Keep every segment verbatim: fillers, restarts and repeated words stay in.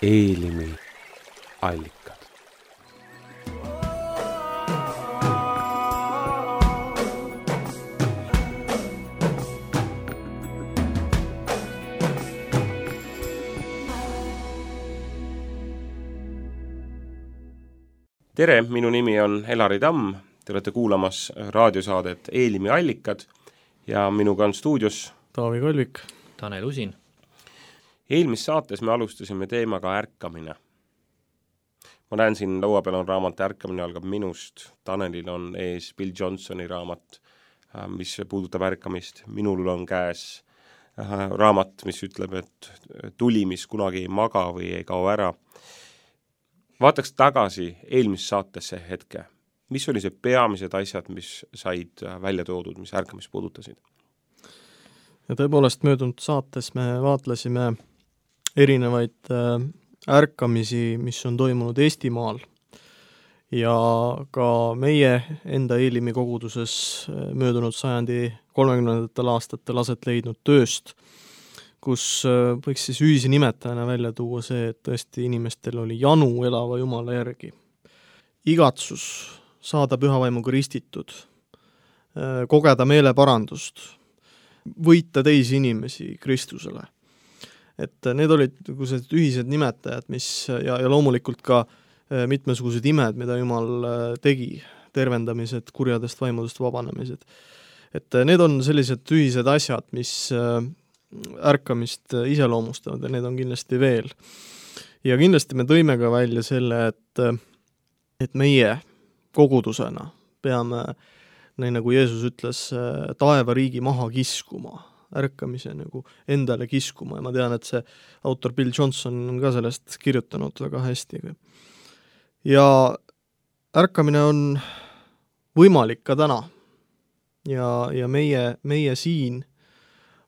Eelimi allikad. Tere, minu nimi on Elari Tamm, te olete kuulamas raadiosaadet Eelimi allikad ja minuga on stuudios Taavi Kolvik, Tanel Usin. Eelmis saates me alustasime teemaga ärkamine. Ma näen siin laua peal on raamat Ärkamine algab minust, Tanelil on ees Bill Johnsoni raamat, mis puudutab ärkamist, minul on käes raamat, mis ütleb, et tuli, mis kunagi ei maga või ei kao ära. Vaataks tagasi eelmis saatesse hetke. Mis oli see peamised asjad, mis said välja toodud, mis ärkamist puudutasid? Ja tõepoolest möödunud saates me vaatlesime erinevaid ärkamisi, mis on toimunud Eestimaal ja ka meie enda Eelimi koguduses möödunud sajandi kolmekümnendatel aastatel aset leidnud tööst, kus võiks siis ühise nimetajana välja tuua see, et tõesti inimestel oli janu elava Jumala järgi. Igatsus saada pühavaimuga ristitud, kogeda meeleparandust, võita teisi inimesi Kristusele. Et need olid ühised nimetajad, mis ja, ja loomulikult ka mitmesugused imed, mida Jumal tegi, tervendamised, kurjadest vaimudest vabanemised. Et need on sellised ühised asjad, mis ärkamist iseloomustavad ja need on kindlasti veel. Ja kindlasti me tõime ka välja selle, et, et meie kogudusena peame, nii nagu Jeesus ütles, taeva riigi maha kiskuma, ärkamise nagu endale kiskuma ja ma tean, et see autor Bill Johnson on ka sellest kirjutanud väga hästi. Ja ärkamine on võimalik ka täna ja, ja meie, meie siin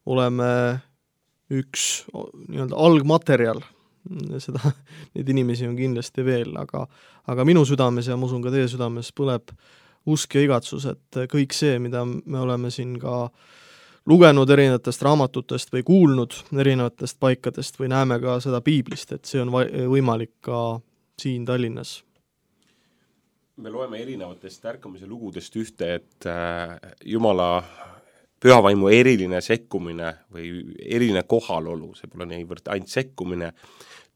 oleme üks nii-öelda algmaterjal, seda, neid inimesi on kindlasti veel, aga, aga minu südames ja ma usun ka teie südames põleb usk ja igatsus, et kõik see, mida me oleme siin ka lugenud erinevatest raamatutest või kuulnud erinevatest paikadest või näeme ka seda piiblist, et see on võimalik ka siin Tallinnas. Me loeme erinevatest ärkamise lugudest ühte, et Jumala pühavaimu eriline sekkumine või eriline kohalolu, see pole niivõrd ainult sekkumine,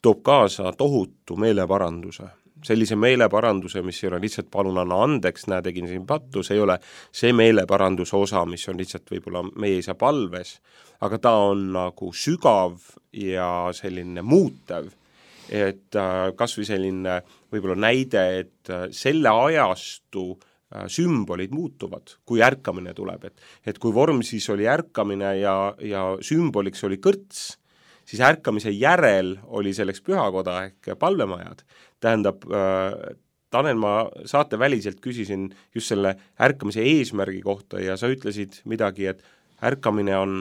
toob kaasa tohutu meeleparanduse. Sellise meeleparanduse, mis ei ole lihtsalt palun anna andeks, näe tegin siin pattu, see ei ole see meeleparanduse osa, mis on lihtsalt võib-olla meie isa palves, aga ta on nagu sügav ja selline muutev, et kas või selline võib-olla näide, et selle ajastu sümbolid muutuvad, kui ärkamine tuleb. Et, et kui vorm siis oli ärkamine ja, ja sümboliks oli kõrts, siis ärkamise järel oli selleks pühakoda ehk palvemajad. Tähendab, äh, Tanel, ma saate väliselt küsisin just selle ärkamise eesmärgi kohta ja sa ütlesid midagi, et ärkamine on...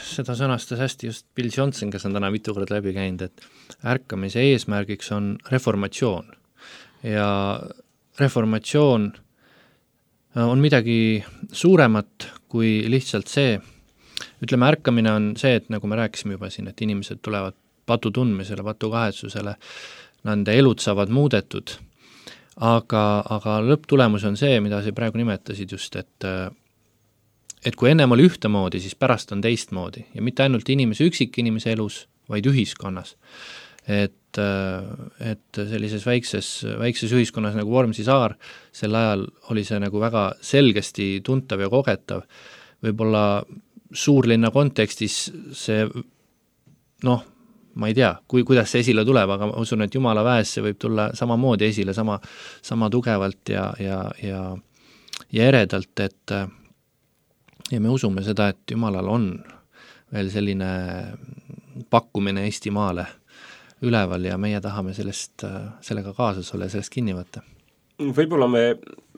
Seda sõnastas hästi just Bill Johnson, kes on täna mitu kord läbi käinud, et ärkamise eesmärgiks on reformatsioon ja reformatsioon on midagi suuremat kui lihtsalt see, ütleme, ärkamine on see, et nagu me rääkisime juba siin, et inimesed tulevad patu tundmisele, patu kahetsusele, nende elud saavad muudetud, aga, aga lõpptulemus on see, mida sa praegu nimetasid just, et, et kui ennem oli ühtemoodi, siis pärast on teistmoodi ja mitte ainult inimese üksik inimese elus, vaid ühiskonnas. Et et sellises väikses, väikses ühiskonnas nagu Vormsi saar, sel ajal oli see nagu väga selgesti tuntav ja kogetav. Võib-olla suurlinna kontekstis see, noh, ma ei tea, kui, kuidas see esile tuleb, aga ma usun, et Jumala väes see võib tulla samamoodi esile, sama, sama tugevalt ja, ja, ja, ja eredalt, et ja me usume seda, et Jumalal on veel selline pakkumine Eestimaale üleval ja meie tahame sellest, sellega kaasas olla ja sellest kinni võtta. Võib-olla me,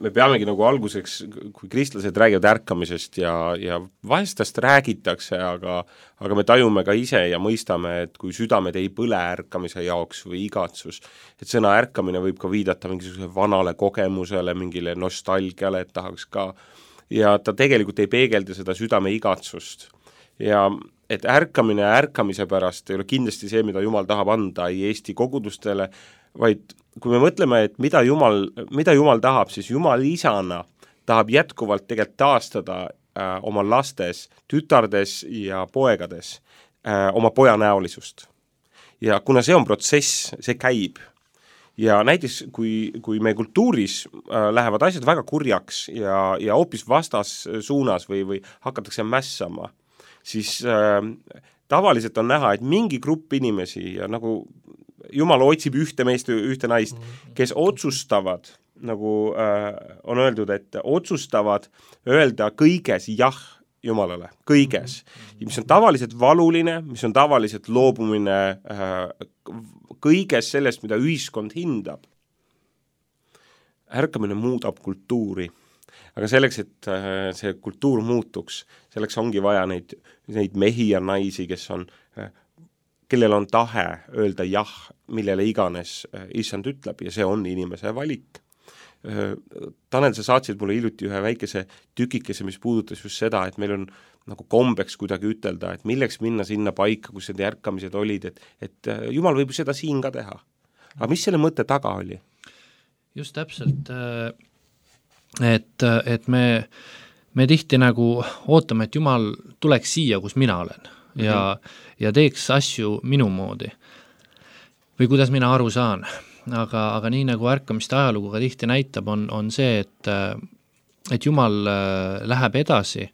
me peamegi nagu alguseks, kui kristlased räägivad ärkamisest ja, ja vahestast räägitakse, aga, aga me tajume ka ise ja mõistame, et kui südamed ei põle ärkamise jaoks või igatsus, et sõna ärkamine võib ka viidata mingisuguse vanale kogemusele, mingile nostalgiale, et tahaks ka, ja ta tegelikult ei peegelda seda südame igatsust. Ja et ärkamine ärkamise pärast ei ole kindlasti see, mida Jumal tahab anda ei Eesti kogudustele, vaid kui me mõtleme, et mida Jumal, mida Jumal tahab, siis Jumal isana tahab jätkuvalt tegelikult taastada äh, oma lastes, tütardes ja poegades äh, oma poja näolisust. Ja kuna see on protsess, see käib, ja näiteks kui, kui meie kultuuris äh, lähevad asjad väga kurjaks ja, ja hoopis vastas suunas või, või hakatakse mässama, siis äh, tavaliselt on näha, et mingi grupp inimesi ja nagu Jumal otsib ühte meest, ühte naist, kes otsustavad, nagu äh, on öeldud, et otsustavad öelda kõiges jah Jumalale, kõiges, mis on tavaliselt valuline, mis on tavaliselt loobumine äh, kõiges sellest, mida ühiskond hindab. Ärkamine muudab kultuuri, aga selleks, et äh, see kultuur muutuks, selleks ongi vaja neid, neid mehi ja naisi, kes on äh, kellel on tahe öelda jah, millele iganes issand ütleb ja see on inimese valik. Tanel, sa saatsid mulle hiljuti ühe väikese tükikese, mis puudutas just seda, et meil on nagu kombeks kuidagi ütelda, et milleks minna sinna paika, kus need ärkamised olid, et, et Jumal võib seda siin ka teha. Aga mis selle mõtte taga oli? Just täpselt, et, et me, me tihti nagu ootame, et Jumal tuleks siia, kus mina olen ja, ja teeks asju minu moodi või kuidas mina aru saan, aga, aga nii nagu ärkamiste ajalugu ka tihti näitab, on, on see, et, et Jumal läheb edasi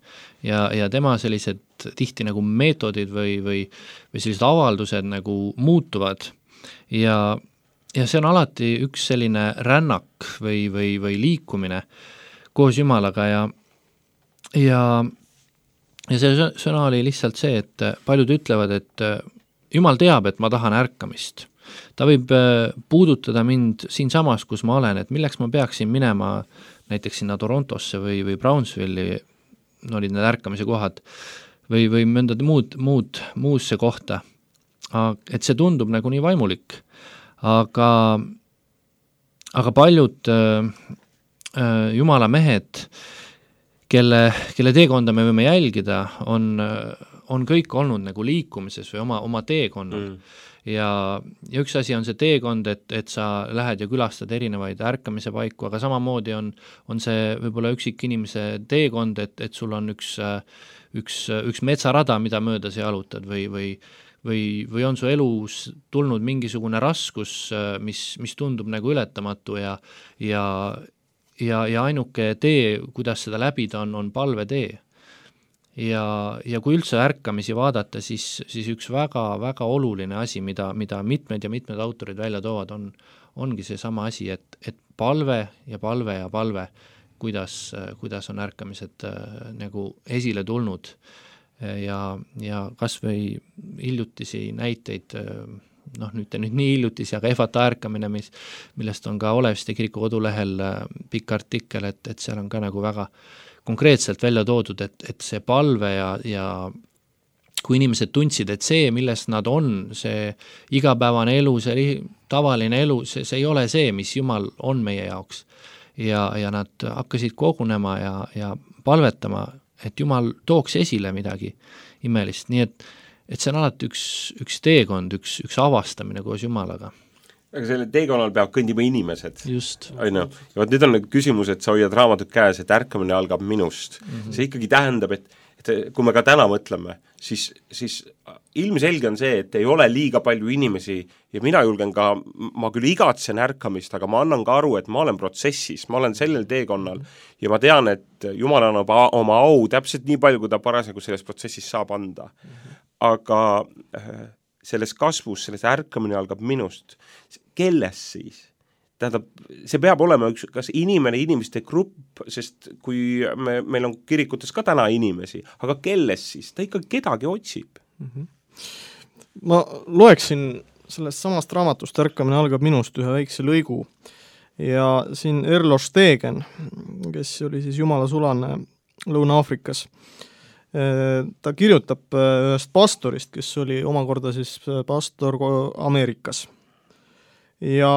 ja, ja tema sellised tihti nagu meetodid või, või, või sellised avaldused nagu muutuvad ja, ja see on alati üks selline rännak või, või, või liikumine koos Jumalaga ja, ja Ja see sõna oli lihtsalt see, et paljud ütlevad, et Jumal teab, et ma tahan ärkamist. Ta võib puudutada mind siin samas, kus ma olen, et milleks ma peaksin minema näiteks sinna Torontosse või, või Brownsville'i, no olid need ärkamise kohad, või, või mõnda muud, muud, muusse kohta. Et see tundub nagu nii vaimulik. Aga, aga paljud äh, Jumala mehed kelle, kelle teekonda me võime jälgida, on, on kõik olnud nagu liikumises või oma, oma teekonnal. Mm. Ja, ja üks asi on see teekond, et, et sa lähed ja külastad erinevaid ärkamise paiku, aga samamoodi on, on see võib-olla üksik inimese teekond, et, et sul on üks, üks, üks metsarada, mida mööda sa jalutad või, või, või, või on su elus tulnud mingisugune raskus, mis, mis tundub nagu ületamatu ja, ja Ja, ja ainuke tee, kuidas seda läbida, on, on palvetee. Ja, ja kui üldse ärkamisi vaadata, siis, siis üks väga, väga oluline asi, mida, mida mitmed ja mitmed autorid välja toovad, on, ongi see sama asi, et, et palve ja palve ja palve, kuidas, kuidas on ärkamised äh, nagu esile tulnud. Ja, ja kas või hiljutisi näiteid äh, noh, nüüd, nüüd nii hiljutisi, aga Efata ärkamine, mis, millest on ka Oleviste kiriku kodulehel pikk artikkel, et, et seal on ka nagu väga konkreetselt välja toodud, et, et see palve ja, ja kui inimesed tundsid, et see, millest nad on, see igapäevane elu, see tavaline elu, see, see ei ole see, mis Jumal on meie jaoks. Ja, ja nad hakkasid kogunema ja, ja palvetama, et Jumal tooks esile midagi imelist, nii et et see on alati üks, üks teekond, üks, üks avastamine koos Jumalaga. Aga selle teekonnal peab kõndima inimesed. Just. Aina. Ja võt nüüd on küsimus, et sa hoiad raamatut käes, et ärkamine algab minust. Mm-hmm. See ikkagi tähendab, et, et kui me ka täna mõtleme, siis, siis ilmselge on see, et ei ole liiga palju inimesi ja mina julgen ka, ma küll igatsen ärkamist, aga ma annan ka aru, et ma olen protsessis, ma olen sellel teekonnal ja ma tean, et Jumal annab oma au täpselt nii palju, kui ta parasjagu selles protsessis saab anda. Mm-hmm. Aga selles kasvus, selles ärkamine algab minust. Kelles siis? Tähendab, see peab olema üks, kas inimene, inimeste grupp, sest kui me, meil on kirikutes ka täna inimesi, aga kelles siis? Ta ikka kedagi otsib. Mm-hmm. Ma loeksin sellest samast raamatust Ärkamine algab minust ühe väikse lõigu ja siin Erlo Stegen, kes oli siis Jumala sulane Lõuna-Aafrikas, ta kirjutab ühest pastorist, kes oli omakorda siis pastor Ameerikas. Ja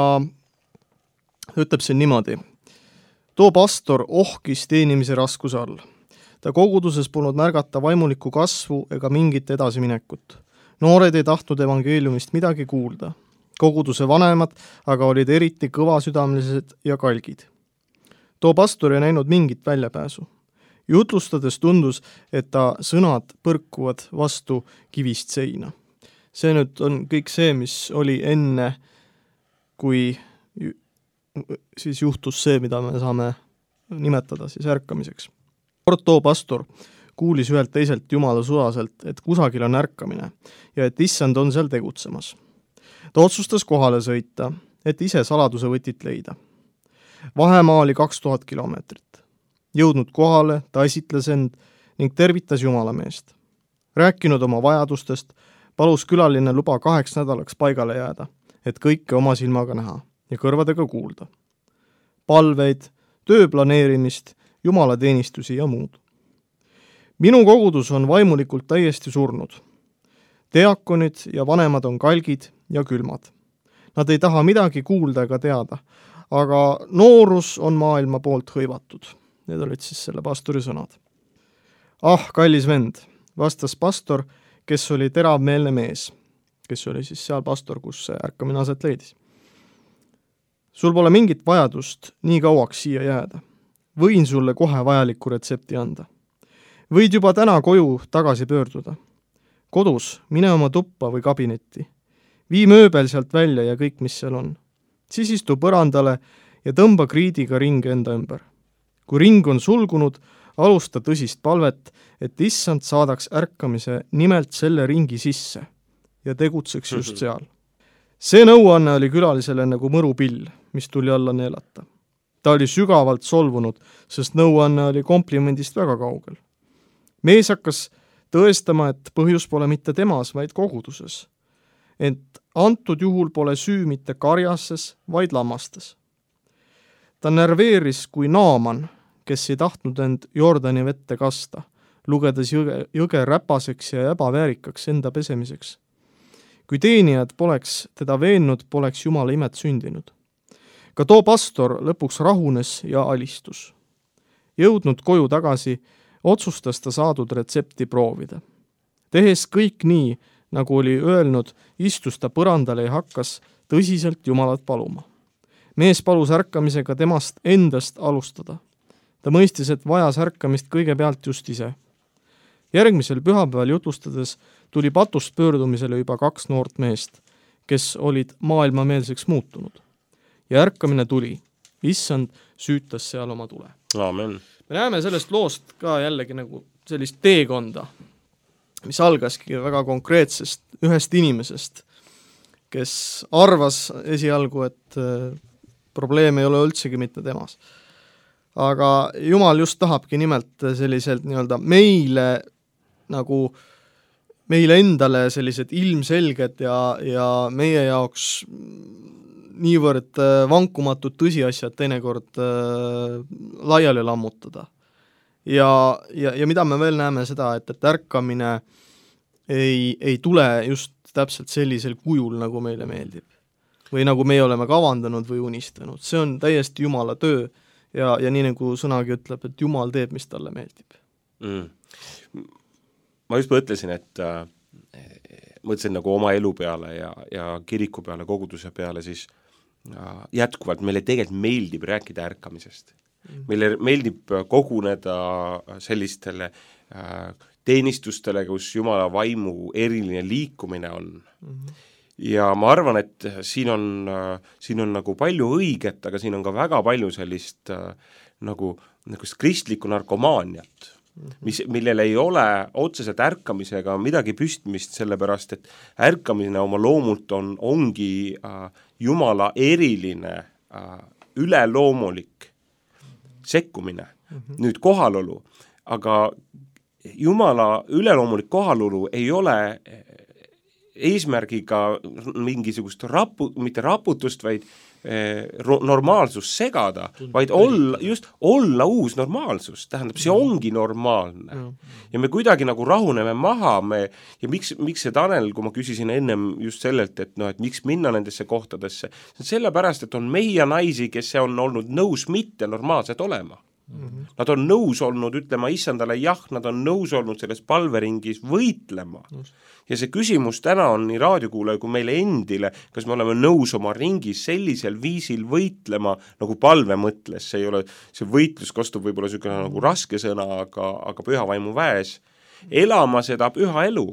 ütleb siin niimoodi. Too pastor ohkis teenimise raskuse all. ta koguduses polnud märgata vaimulikku kasvu ega mingit edasiminekut. Noored ei tahtnud evangeeliumist midagi kuulda. Koguduse vanemad aga olid eriti kõvasüdamelised ja kalgid. Too pastor ei näinud mingit väljapääsu. Jutlustades tundus, et ta sõnad põrkuvad vastu kivist seina. See nüüd on kõik see, mis oli enne, kui siis juhtus see, mida me saame nimetada siis ärkamiseks. Too pastor kuulis ühelt teiselt jumala sulaselt, et kusagil on ärkamine ja et issand on seal tegutsemas. Ta otsustas kohale sõita, et ise saladuse võtit leida. Vahemaa oli kaks tuhat kilomeetrit. Jõudnud kohale, ta esitles end ning tervitas jumalameest. Rääkinud oma vajadustest, palus külaline luba kaheks nädalaks paigale jääda, et kõike oma silmaga näha ja kõrvadega kuulda. Palveid, töö planeerimist, jumalateenistusi ja muud. Minu kogudus on vaimulikult täiesti surnud. Deakonid ja vanemad on kalgid ja külmad. Nad ei taha midagi kuulda ega teada, aga noorus on maailma poolt hõivatud. Need olid siis selle pastori sõnad. Ah, kallis vend, vastas pastor, kes oli teravmeelne mees, kes oli siis seal pastor, kus see ärkamine aset leidis. Sul pole mingit vajadust nii kauaks siia jääda. Võin sulle kohe vajaliku retsepti anda. Võid juba täna koju tagasi pöörduda. Kodus, mine oma tuppa või kabinetti. Vii mööbel sealt välja ja kõik, mis seal on. Siis istu põrandale ja tõmba kriidiga ringe enda ümber. Kui ring on sulgunud, alusta tõsist palvet, et issand saadaks ärkamise nimelt selle ringi sisse ja tegutseks just seal. See nõuanne oli külalisele nagu mõrupill, mis tuli alla neelata. Ta oli sügavalt solvunud, sest nõuanne oli komplimendist väga kaugel. Mees hakkas tõestama, et põhjus pole mitte temas, vaid koguduses. Ent antud juhul pole süü mitte karjases, vaid lammastes. Ta närveeris kui Naaman, kes ei tahtnud end Jordani vette kasta, lugedes jõge, jõge räpaseks ja ebaväärikaks enda pesemiseks. Kui teenijad poleks teda veennud, poleks Jumala imet sündinud. Ka too pastor lõpuks rahunes ja alistus. Jõudnud koju tagasi, otsustas ta saadud retsepti proovida. Tehes kõik nii, nagu oli öelnud, istus ta põrandale ja hakkas tõsiselt Jumalat paluma. Mees palus ärkamisega temast endast alustada. Ta mõistis, et vajas ärkamist kõigepealt just ise. Järgmisel pühapäeval jutlustades tuli patust pöördumisele juba kaks noort meest, kes olid maailmameelseks muutunud. Ja ärkamine tuli. Issand süütas seal oma tule. Aamen. Me näeme sellest loost ka jällegi nagu sellist teekonda, mis algaski väga konkreetsest ühest inimesest, kes arvas esialgu, et probleem ei ole üldsegi mitte temas. Aga Jumal just tahabki nimelt selliselt nii-öelda meile nagu meile endale sellised ilmselged ja, ja meie jaoks niivõrd vankumatud tõsiasjad teinekord äh, laiali lammutada. Ja, ja, ja mida me veel näeme seda, et, et ärkamine ei, ei tule just täpselt sellisel kujul, nagu meile meeldib. Või nagu meie oleme kavandanud või unistanud. See on täiesti Jumala töö ja, ja nii nagu sõnagi ütleb, et Jumal teeb, mis talle meeldib. Mm. Ma just mõtlesin, et äh, mõtlesin nagu oma elu peale ja, ja kiriku peale, koguduse peale, siis äh, jätkuvalt meile tegelikult meeldib rääkida ärkamisest. Mm. Meile meeldib koguneda sellistele äh, teenistustele, kus Jumala vaimu eriline liikumine on. Mm-hmm. Ja ma arvan, et siin on, siin on nagu palju õiget, aga siin on ka väga palju sellist äh, nagu, nagu kristlikku narkomaaniat, mm-hmm. mis, millel ei ole otseselt ärkamisega midagi püstmist, sellepärast et ärkamine oma loomult on, ongi äh, Jumala eriline äh, üleloomulik sekkumine, mm-hmm. nüüd kohalolu, aga Jumala üleloomulik kohalolu ei ole eesmärgiga mingisugust rapu, mitte raputust, vaid eh, normaalsust segada, vaid olla, just olla uus normaalsus, tähendab, see ongi normaalne. Mm. Ja me kuidagi nagu rahuneme maha, me, ja miks, miks see Tanel, kui ma küsisin ennem just sellelt, et, no, et miks minna nendesse kohtadesse, sellepärast, et on mehi ja naisi, kes on olnud nõus mitte normaalsed olema. Mm-hmm. Nad on nõus olnud ütlema issandale jah, nad on nõus olnud selles palveringis võitlema. Just. Ja see küsimus täna on nii raadiokuulaja kui meile endile, kas me oleme nõus oma ringis sellisel viisil võitlema, nagu palve mõtles, see ei ole, see võitlus kostub võib-olla niisugune nagu raske sõna, aga, aga püha vaimu väes, elama seda püha elu,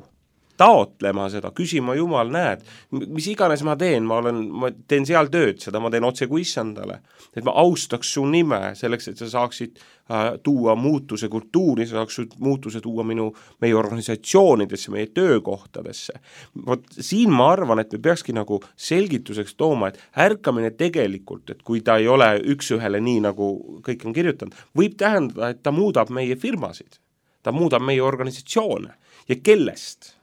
taotlema seda, küsima Jumal, näed, mis iganes ma teen, ma olen, ma teen seal tööd, seda ma teen otse kui issandale, et ma austaks su nime selleks, et sa saaksid äh, tuua muutuse kultuuri, sa saaksid muutuse tuua minu, meie organisatsioonidesse, meie töökohtadesse. Vot siin ma arvan, et me peakski nagu selgituseks tooma, et ärkamine tegelikult, et kui ta ei ole üks ühele nii, nagu kõik on kirjutanud, võib tähendada, et ta muudab meie firmasid, ta muudab meie organisatsioone ja kellest?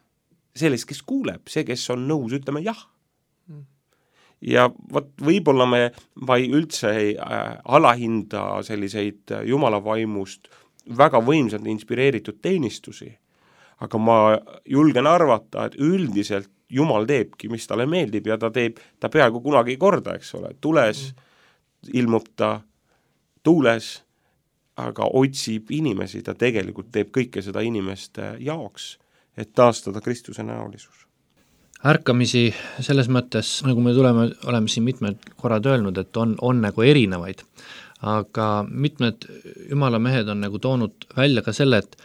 Sellest, kes kuuleb, see, kes on nõus, ütleme jah. Ja võt, võib-olla me vai üldse ei äh, alahinda selliseid Jumala vaimust väga võimsalt inspireeritud teenistusi, aga ma julgen arvata, et üldiselt Jumal teebki, mis talle meeldib ja ta teeb, ta peaaegu kunagi ei korda, eks ole, tules mm. ilmub ta, tuules, aga otsib inimesi, ta tegelikult teeb kõike seda inimeste jaoks, et taastada Kristuse näolisus. Ärkamisi selles mõttes, nagu me tuleme, oleme siin mitmed korrad öelnud, et on, on nagu erinevaid, aga mitmed Jumala mehed on nagu toonud välja ka selle, et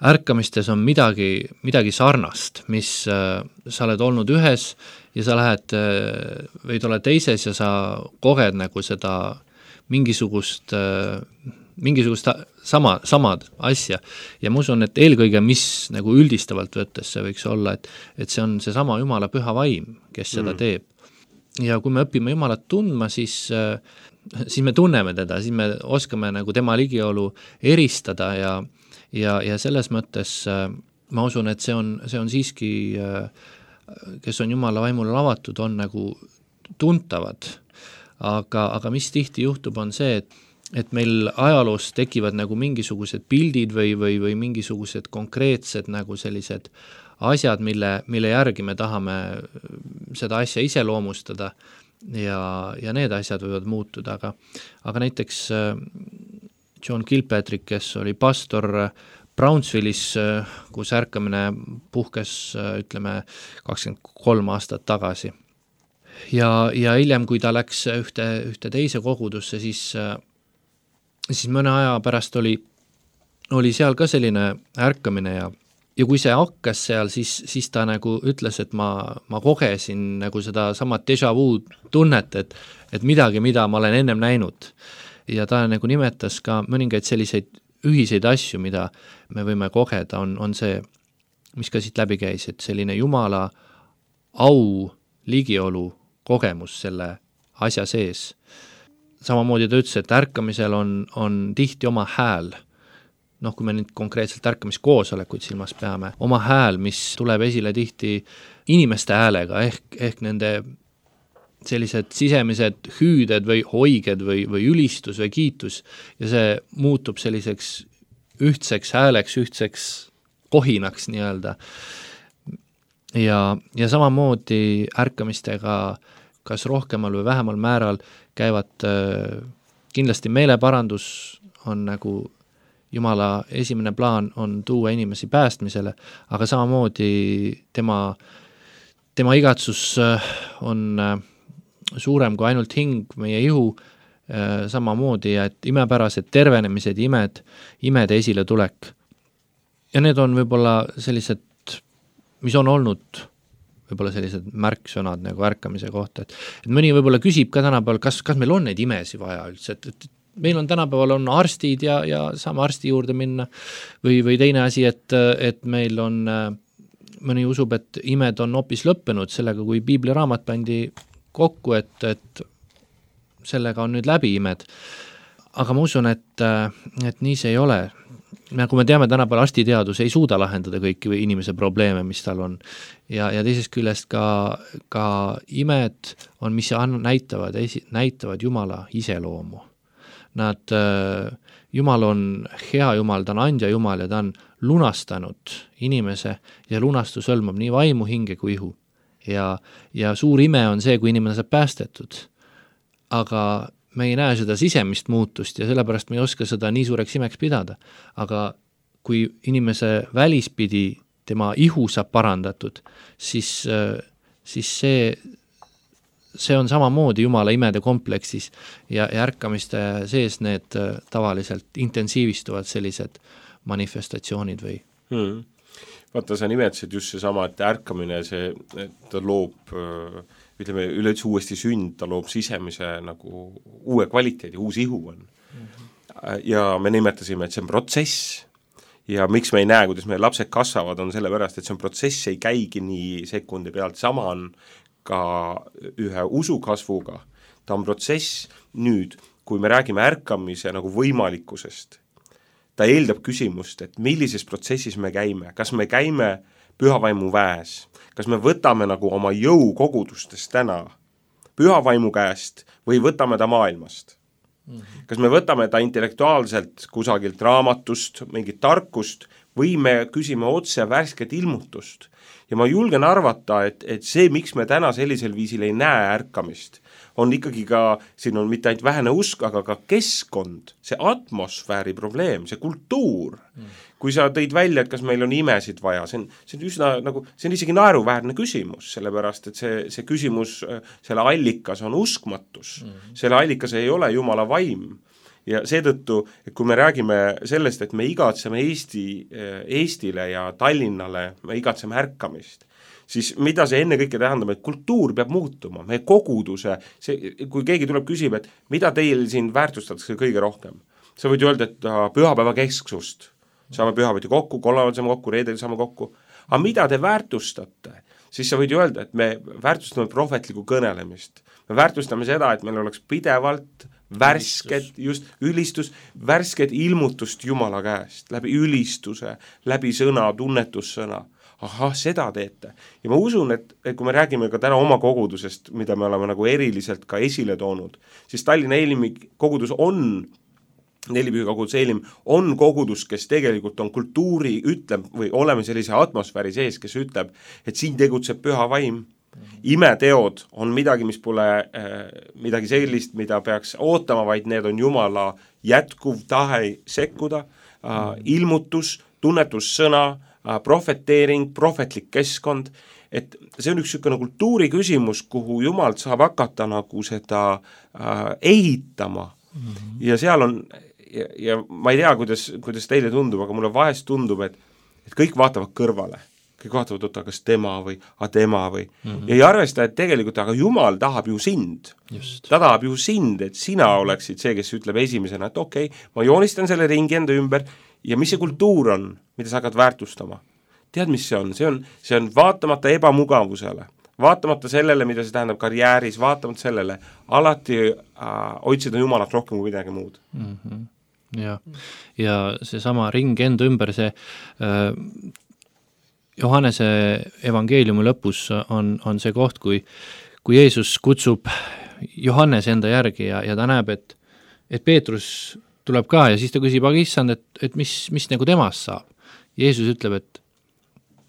ärkamistes on midagi, midagi sarnast, mis äh, sa oled olnud ühes ja sa lähed äh, või oled teises ja sa koged nagu seda mingisugust äh, mingisugust sama, samad asja ja ma usun, et eelkõige, mis nagu üldistavalt võttes see võiks olla, et, et see on see sama Jumala püha vaim, kes seda mm. teeb. Ja kui me õpime Jumalat tundma, siis, siis me tunneme teda, siis me oskame nagu tema ligiolu eristada ja, ja, ja selles mõttes ma usun, et see on, see on siiski, kes on Jumala vaimule avatud, on nagu tuntavad. Aga, aga mis tihti juhtub, on see, et et meil ajaloos tekivad nagu mingisugused pildid või, või, või mingisugused konkreetsed nagu sellised asjad, mille, mille järgi me tahame seda asja iseloomustada ja, ja need asjad võivad muutuda, aga, aga näiteks John Kilpatrick, kes oli pastor Brownsvillis, kus ärkamine puhkes, ütleme, kakskümmend kolm aastat tagasi. Ja, ja hiljem, kui ta läks ühte, ühte teise kogudusse, siis siis mõne aja pärast oli, oli seal ka selline ärkamine ja, ja kui see hakkas seal, siis, siis ta nagu ütles, et ma, ma kogesin nagu seda samat déjà vu tunnet, et, et midagi, mida ma olen ennem näinud. Ja ta nagu nimetas ka mõningaid selliseid ühiseid asju, mida me võime kogeda, on, on see, mis ka siit läbi käis, et selline Jumala au, ligiolu kogemus selle asja sees. Samamoodi ta ütles, et ärkamisel on, on tihti oma hääl, noh, kui me nüüd konkreetselt ärkamiskoosolekuid silmas peame, oma hääl, mis tuleb esile tihti inimeste häälega, ehk, ehk nende sellised sisemised hüüded või hoiged või, või ülistus või kiitus ja see muutub selliseks ühtseks hääleks, ühtseks kohinaks nii-öelda. Ja, ja samamoodi ärkamistega kas rohkemal või vähemal määral käivad äh, kindlasti meeleparandus on nagu Jumala esimene plaan on tuua inimesi päästmisele, aga samamoodi tema, tema igatsus äh, on äh, suurem kui ainult hing, meie ihu äh, samamoodi, et imepärased tervenemised, imed, imede esile tulek. Ja need on võib-olla sellised, mis on olnud võib-olla sellised märksõnad nagu ärkamise kohta, et, et mõni võib-olla küsib ka tänapäeval, kas, kas meil on neid imesi vaja üldse, et, et meil on tänapäeval on arstid ja, ja saame arsti juurde minna või, või teine asi, et, et meil on, mõni usub, et imed on hoopis lõppenud sellega, kui piibliraamat pandi kokku, et, et sellega on nüüd läbi imed. Aga ma usun, et, et nii see ei ole. Nagu me teame, tänapäeval arstiteadus ei suuda lahendada kõiki inimese probleeme, mis tal on. Ja, ja teisest küljest ka, ka imed on, mis näitavad, näitavad Jumala iseloomu. Nad, Jumal on hea Jumal, ta on andja Jumal ja ta on lunastanud inimese ja lunastus hõlmab nii vaimu, hinge kui ihu. Ja, ja suur ime on see, kui inimene saab päästetud. Aga me ei näe seda sisemist muutust ja sellepärast me ei oska seda nii suureks imeks pidada. Aga kui inimese välispidi tema ihu saab parandatud, siis, siis see, see on samamoodi Jumala imede kompleksis ja, ja ärkamiste sees need tavaliselt intensiivistuvad sellised manifestatsioonid või hmm. Vaata, sa nimetasid just see sama, et ärkamine, see, ta loob ütleme, üleüldse uuesti sünd, ta loob sisemise nagu uue kvaliteedi, uus ihu on. Mm-hmm. Ja me nimetasime, et see on protsess ja miks me ei näe, kuidas meie lapsed kasvavad, on sellepärast, et see on protsess, ei käigi nii sekundi pealt, sama on ka ühe usu kasvuga, ta on protsess. Nüüd, kui me räägime ärkamise nagu võimalikkusest, ta eeldab küsimust, et millises protsessis me käime, kas me käime pühavaimu väes, kas me võtame nagu oma jõu kogudustest täna pühavaimu käest või võtame ta maailmast. Mm-hmm. Kas me võtame ta intellektuaalselt kusagilt raamatust, mingit tarkust või me küsime otse värsket ilmutust. Ja ma julgen arvata, et, et see, miks me täna sellisel viisil ei näe ärkamist, on ikkagi ka, siin on mitte ainult vähene usk, aga ka keskkond, see atmosfääri probleem, see kultuur. Mm. Kui sa tõid välja, et kas meil on imesid vaja, see on, see on üsna nagu, see on isegi naeruväärne küsimus, sellepärast, et see, see küsimus, selle allikas on uskmatus. Mm. Selle allikas ei ole Jumala vaim. Ja seetõttu, et kui me räägime sellest, et me igatseme Eesti, Eestile ja Tallinnale, me igatseme ärkamist, siis mida see enne kõike tähendab, et kultuur peab muutuma, meie koguduse, see, kui keegi tuleb küsib, et mida teil siin väärtustatakse kõige rohkem, sa võid öelda, et pühapäeva kesksust, saame pühapäeviti kokku, kolmapäeval saame kokku, reedel saame kokku, aga mida te väärtustate, siis sa võid öelda, et me väärtustame prohvetlikku kõnelemist, me väärtustame seda, et meil oleks pidevalt värsket, just ülistus, värsket ilmutust Jumala käest, läbi ülistuse, läbi sõna, tunnetussõna. Ahah, seda teete. Ja ma usun, et, et kui me räägime ka täna oma kogudusest, mida me oleme nagu eriliselt ka esile toonud, siis Tallinna Eelimi kogudus on, Nelipühi kogudus Eelim, on kogudus, kes tegelikult on kultuuri, ütleb, või oleme sellise atmosfääri sees, kes ütleb, et siin tegutseb püha vaim. Imeteod on midagi, mis pole äh, midagi sellist, mida peaks ootama, vaid need on Jumala jätkuv tahe sekkuda, äh, ilmutus, tunnetussõna, äh, profeteering, prohvetlik keskkond, et see on üks niisugune kultuuri küsimus, kuhu Jumalt saab hakata nagu seda äh, ehitama mm-hmm. ja seal on, ja, ja ma ei tea, kuidas, kuidas teile tundub, aga mulle vahest tundub, et, et kõik vaatavad kõrvale. Kõik vaatavad, oota, kas tema või a tema või mm-hmm. ja ei arvesta, et tegelikult, aga Jumal tahab ju sind. Just. Ta tahab ju sind, et sina oleksid see, kes ütleb esimesena, et okei, okay, ma joonistan selle ringi enda ümber ja mis see kultuur on, mida sa hakkad väärtustama. Tead, mis see on? See on, see on vaatamata ebamugavusele, vaatamata sellele, mida see tähendab karjääris, vaatamata sellele, alati äh, otsida Jumalat rohkem kui midagi muud. Mm-hmm. Ja, ja see sama ring enda ümber, see äh, Johannese evangeeliumi lõpus on, on see koht, kui, kui Jeesus kutsub Johannes enda järgi ja, ja ta näeb, et, et Peetrus tuleb ka ja siis ta küsib, aga issand, et, et mis, mis nagu temast saab. Jeesus ütleb, et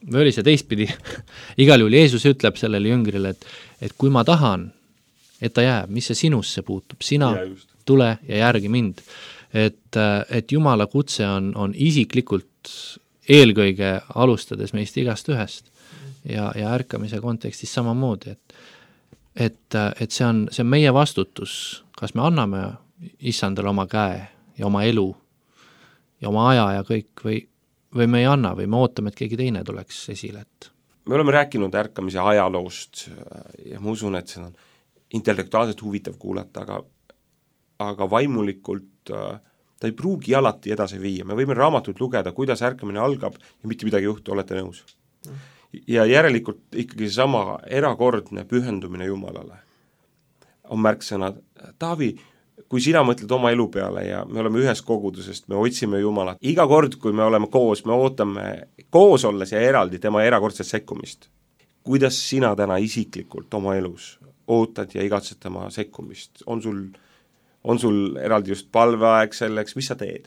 või oli see teistpidi, igal juhul Jeesus ütleb sellele jüngrile, et, et kui ma tahan, et ta jääb, mis see sinusse puutub, sina ja tule ja järgi mind. Et, et Jumala kutse on, on isiklikult eelkõige alustades meist igast ühest ja, ja ärkamise kontekstis samamoodi, et, et, et see, on, see on meie vastutus, kas me anname issandale oma käe ja oma elu ja oma aja ja kõik või, või me ei anna või me ootame, et keegi teine tuleks esile. Et... me oleme rääkinud ärkamise ajaloost ja ma usun, et see on intellektuaalselt huvitav kuulata, aga, aga vaimulikult äh, ta ei pruugi alati edasi viia, me võime raamatut lugeda, kuidas ärkamine algab ja mitte midagi juhtu, olete nõus. Ja järelikult ikkagi sama erakordne pühendumine Jumalale on märksõna. Taavi, kui sina mõtled oma elu peale ja me oleme ühes kogudusest, me otsime Jumalat, iga kord, kui me oleme koos, me ootame koos olles ja eraldi tema erakordset sekkumist. Kuidas sina täna isiklikult oma elus ootad ja igatsed tema sekkumist? On sul on sul eraldi just palveaeg selleks, mis sa teed?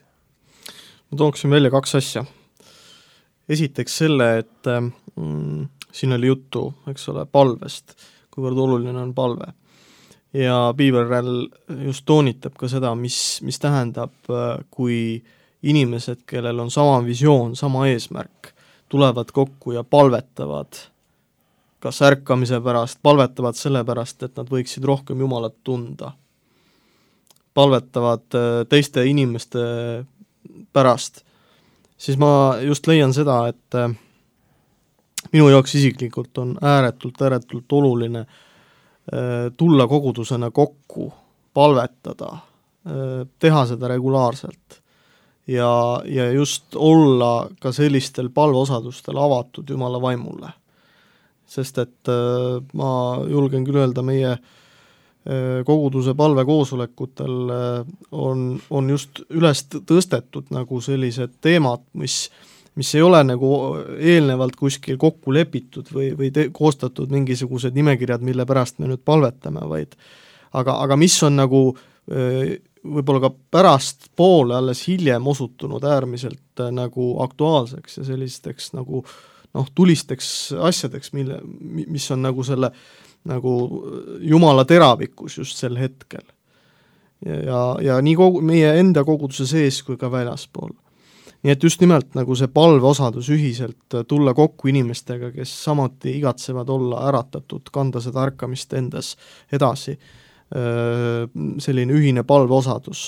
Ma tooksin välja kaks asja. Esiteks selle, et mm, siin oli juttu, eks ole, palvest, kuivõrd oluline on palve. ja Beaverell just toonitab ka seda, mis, mis tähendab, kui inimesed, kellel on sama visioon, sama eesmärk, tulevad kokku ja palvetavad kas ärkamise pärast, palvetavad selle pärast, et nad võiksid rohkem Jumalat tunda. Palvetavad teiste inimeste pärast, siis ma just leian seda, et minu jaoks isiklikult on ääretult, ääretult oluline tulla kogudusena kokku, palvetada, teha seda regulaarselt ja, ja just olla ka sellistel palveosadustel avatud Jumala vaimule. Sest et ma julgen küll öelda, meie koguduse palvekoosolekutel on, on just üles tõstetud nagu sellised teemad, mis, mis ei ole nagu eelnevalt kuskil kokku lepitud või, või te, koostatud mingisugused nimekirjad, mille pärast me nüüd palvetame, vaid aga, aga mis on nagu võib-olla ka pärast poole alles hiljem osutunud äärmiselt nagu aktuaalseks ja sellisteks nagu noh, tulisteks asjadeks, mille, mis on nagu selle nagu Jumala teravikus just sel hetkel. Ja, ja, ja nii kogu, meie enda koguduse sees kui ka väljaspool. Nii et just nimelt nagu see palveosadus ühiselt tulla kokku inimestega, kes samuti igatsevad olla äratatud, kanda seda ärkamist endas edasi, selline ühine palveosadus.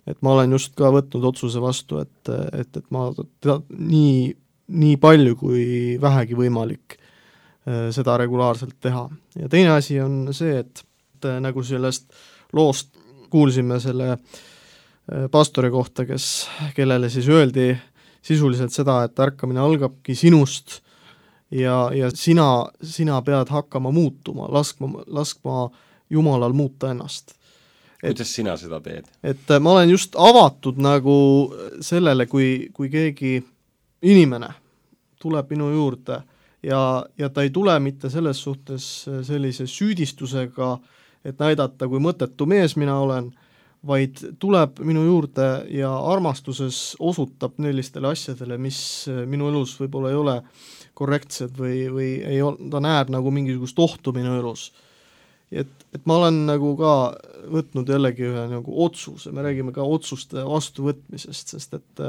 Et ma olen just ka võtnud otsuse vastu, et, et, et ma tea, nii, nii palju kui vähegi võimalik seda regulaarselt teha. Ja teine asi on see, et, et nagu sellest loost kuulsime selle pastori kohta, kes, kellele siis öeldi sisuliselt seda, et ärkamine algabki sinust ja, ja sina, sina pead hakkama muutuma, laskma, laskma Jumalal muuta ennast. Et, kuidas sina seda teed? Et ma olen just avatud nagu sellele, kui, kui keegi inimene tuleb minu juurde ja, ja ta ei tule mitte selles suhtes sellise süüdistusega, et näidata, kui mõttetu mees mina olen, vaid tuleb minu juurde ja armastuses osutab sellistele asjadele, mis minu elus võib-olla ei ole korrektsed või, või ei ole, ta näeb nagu mingisugust ohtu minu elus. Et, et ma olen nagu ka võtnud jällegi ühe nagu otsuse, me räägime ka otsuste vastuvõtmisest, sest et,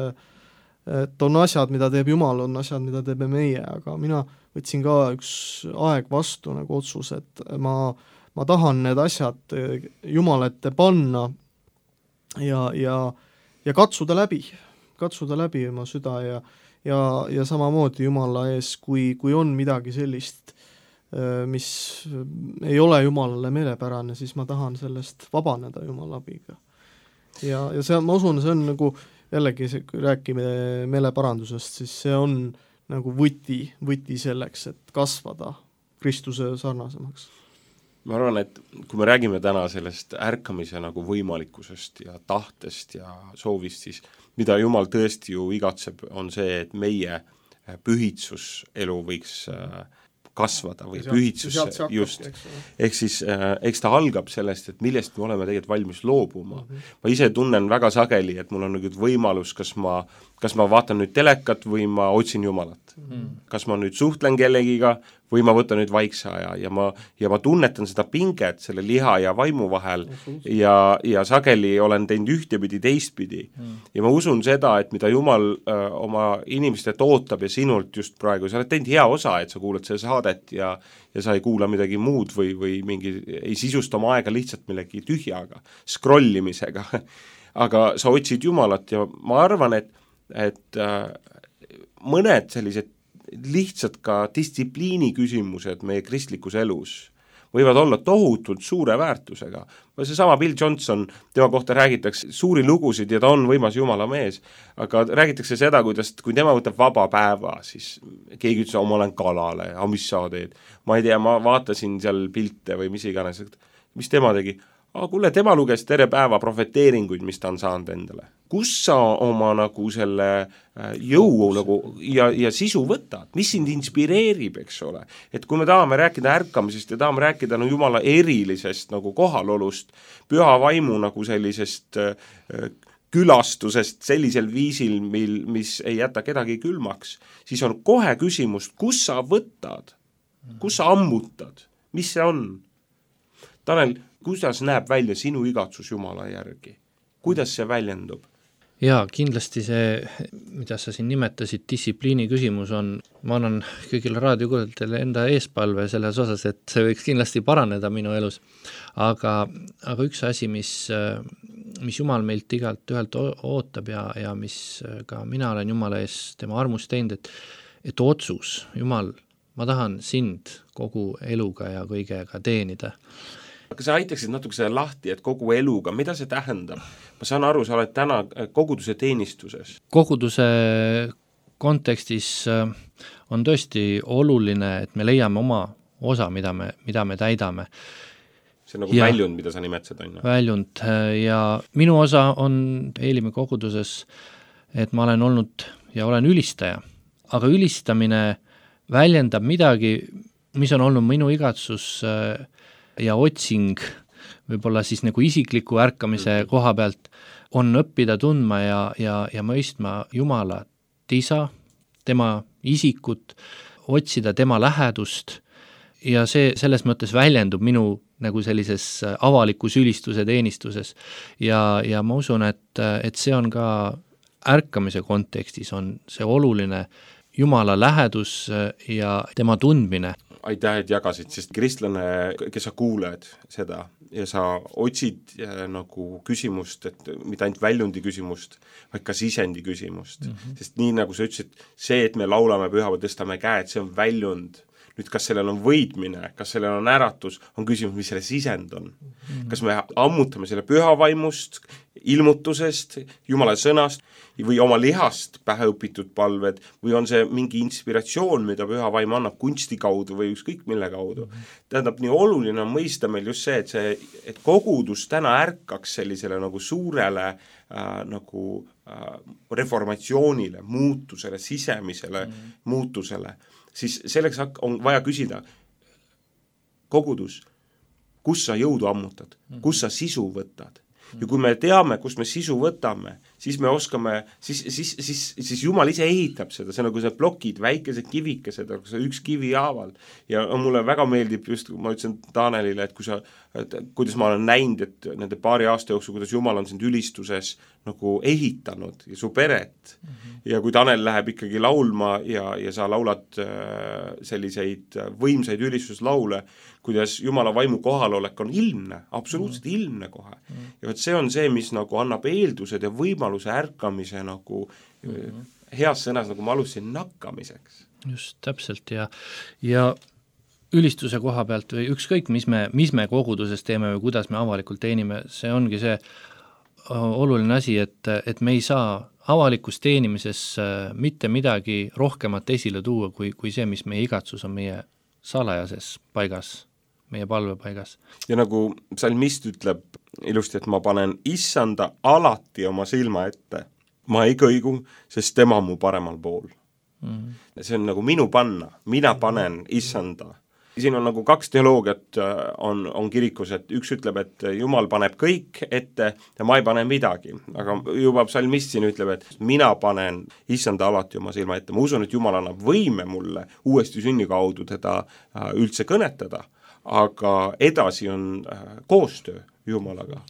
et on asjad, mida teeb Jumal, on asjad, mida teeme meie, aga mina võtsin ka üks aeg vastu nagu otsus, et ma, ma tahan need asjad Jumala ette panna ja, ja, ja katsuda läbi, katsuda läbi oma süda ja, ja, ja samamoodi Jumala ees, kui, kui on midagi sellist, mis ei ole Jumalale meelepärane, siis ma tahan sellest vabaneda Jumala abiga. Ja, ja see, ma usun, see on nagu jällegi, see, kui räägime meeleparandusest, siis see on nagu võti, võti selleks, et kasvada Kristuse sarnasemaks. Ma arvan, et kui me räägime täna sellest ärkamise nagu võimalikkusest ja tahtest ja soovist, siis mida Jumal tõesti ju igatseb, on see, et meie pühitsuselu võiks kasvada või sealt, pühitsus hakkab, just, ehk siis äh, eks ta algab sellest, et millest me oleme tegelikult valmis loobuma. Mm -hmm. Ma ise tunnen väga sageli, et mul on nüüd võimalus, kas ma, kas ma vaatan nüüd telekat või ma otsin Jumalat. Mm -hmm. Kas ma nüüd suhtlen kellegiga või ma võtan nüüd vaikse aja ja ma, ja ma tunnetan seda pinget selle liha ja vaimu vahel mm-hmm. ja, ja sageli olen teinud ühtepidi teistpidi. Mm. Ja ma usun seda, et mida Jumal öö, oma inimestelt ootab ja sinult just praegu, sa oled teinud hea osa, et sa kuulad seda saadet ja, ja sa ei kuula midagi muud või, või mingi, ei sisusta oma aega lihtsalt millegi tühjaga, scrollimisega aga sa otsid Jumalat ja ma arvan, et, et äh, mõned sellised lihtsalt ka distsipliini küsimused meie kristlikus elus võivad olla tohutult suure väärtusega. See sama Bill Johnson, tema kohta räägitakse suuri lugusid ja ta on võimas Jumala mees, aga räägitakse seda, kuidas, kui tema võtab vaba päeva, siis keegi ütles, ma olen kalale, aga mis sa teed? Ma ei tea, ma vaatasin seal pilte või mis iganes, mis tema tegi? Aga kuule, tema luges tere päeva profeteeringuid, mis ta on saanud endale. Kus sa oma nagu selle jõu nagu ja, ja sisu võtad? Mis sind inspireerib, eks ole? Et kui me tahame rääkida ärkamisest ja tahame rääkida no, Jumala erilisest nagu kohalolust, püha vaimu nagu sellisest äh, külastusest sellisel viisil, mil, mis ei jäta kedagi külmaks, siis on kohe küsimus, kus sa võtad? Kus sa ammutad? Mis see on? Tanel, kuidas näeb välja sinu igatsus Jumala järgi? Kuidas see väljendub? Jaa, kindlasti see, mida sa siin nimetasid, distsipliini küsimus on, ma annan kõigile raadiokuulajatele enda eespalve selles osas, et see võiks kindlasti paraneda minu elus, aga, aga üks asi, mis, mis Jumal meilt igalt ühelt ootab ja, ja mis ka mina olen Jumala ees tema armust teinud, et, et otsus, Jumal, ma tahan sind kogu eluga ja kõigega teenida. Aga sa aitaksid natuke selle lahti, et kogu eluga, mida see tähendab? Ma saan aru, sa oled täna koguduse teenistuses. Koguduse kontekstis on tõesti oluline, et me leiame oma osa, mida me, mida me täidame. See on nagu ja, väljund, mida sa nimetasid, on ju? Väljund ja minu osa on Eelimäe koguduses, et ma olen olnud ja olen ülistaja, aga ülistamine väljendab midagi, mis on olnud minu igatsus ja otsing võib-olla siis nagu isikliku ärkamise koha pealt on õppida tundma ja, ja, ja mõistma Jumala isa, tema isikut, otsida tema lähedust ja see selles mõttes väljendub minu nagu sellises avalikus ülistuse teenistuses ja, ja ma usun, et, et see on ka ärkamise kontekstis on see oluline Jumala lähedus ja tema tundmine. Aitäh, et jagasid, sest kristlane, kes sa kuuled seda ja sa otsid äh, nagu küsimust, et mitte ainult väljundi küsimust, vaid ka sisendi küsimust. Mm -hmm. Sest nii nagu sa ütlesid, see, et me laulame püha või tõstame käed, see on väljund. Nüüd, kas sellel on võitmine, kas sellel on äratus, on küsimus, mis selle sisend on. Mm -hmm. Kas me ammutame selle püha vaimust, ilmutusest, Jumala sõnast või oma lihast päheõpitud palved või on see mingi inspiratsioon, mida püha vaim annab kunsti kaudu või ükskõik mille kaudu. Mm -hmm. Tähendab, nii oluline on mõista meil just see, et see, et kogudus täna ärkaks sellisele nagu suurele äh, nagu äh, reformatsioonile, muutusele, sisemisele mm -hmm. muutusele, siis selleks on vaja küsida, kogudus, kus sa jõudu ammutad, kus sa sisu võtad. Ja kui me teame, kus me sisu võtame, siis me oskame, siis, siis, siis, siis Jumal ise ehitab seda, see on nagu see plokid, väikesed kivikesed, see üks kivi haaval. Ja mulle väga meeldib just, ma ütlesin Tanelile, et kui sa, et kuidas ma olen näinud, et nende paari aasta jooksul, kuidas Jumal on sind ülistuses nagu ehitanud ja su peret. Mm-hmm. Ja kui Tanel läheb ikkagi laulma ja, ja sa laulad selliseid võimsaid ülistuslaule, kuidas Jumala vaimu kohalolek on ilmne, absoluutselt mm. ilmne kohe. Mm. Ja see on see, mis nagu annab eeldused ja võimaluse ärkamise nagu mm. heas sõnas, nagu ma alustasin, nakkamiseks. Just, täpselt ja, ja ülistuse koha pealt või ükskõik, mis me, mis me koguduses teeme või kuidas me avalikult teenime, see ongi see oluline asi, et, et me ei saa avalikus teenimises mitte midagi rohkemat esile tuua, kui, kui see, mis meie igatsus on meie salajases paigas, meie palvepaigas. Ja nagu psalmist ütleb ilusti, et ma panen issanda alati oma silma ette. Ma ei kõigu, sest tema mu paremal pool. Mm. See on nagu minu panna, mina panen issanda. Siin on nagu kaks teoloogiat on, on kirikus, et üks ütleb, et Jumal paneb kõik ette ja ma ei pane midagi, aga juba psalmist siin ütleb, et mina panen issanda alati oma silma ette. Ma usun, et Jumal annab võime mulle uuesti sünni kaudu teda üldse kõnetada, aga edasi on koostöö Jumalaga.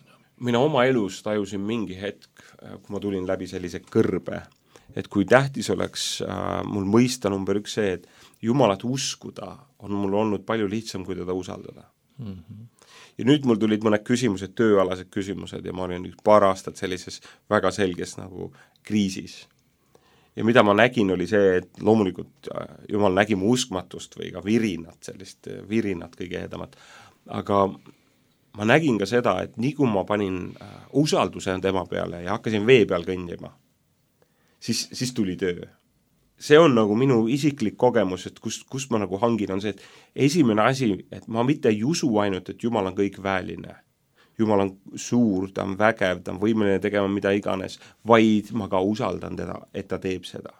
Mina oma elus tajusin mingi hetk, kui ma tulin läbi sellise kõrbe, et kui tähtis oleks äh, mul mõista number üks see, et Jumalat uskuda on mul olnud palju lihtsam, kui teda usaldada. Mm-hmm. Ja nüüd mul tulid mõned küsimused, tööalased küsimused ja ma olin paar aastat sellises väga selges nagu kriisis. Ja mida ma nägin, oli see, et loomulikult äh, Jumal nägi mu uskmatust või ka virinat, sellist virinat kõige edamat, aga ma nägin ka seda, et nii kui ma panin äh, usalduse tema peale ja hakkasin vee peal kõndima, siis, siis tuli töö. See on nagu minu isiklik kogemus, et kust, kust ma nagu hangin, on see, et esimene asi, et ma mitte ei usu ainult, et Jumal on kõik väeline. Jumal on suur, ta on vägev, ta on võimeline tegema mida iganes, vaid ma ka usaldan teda, et ta teeb seda.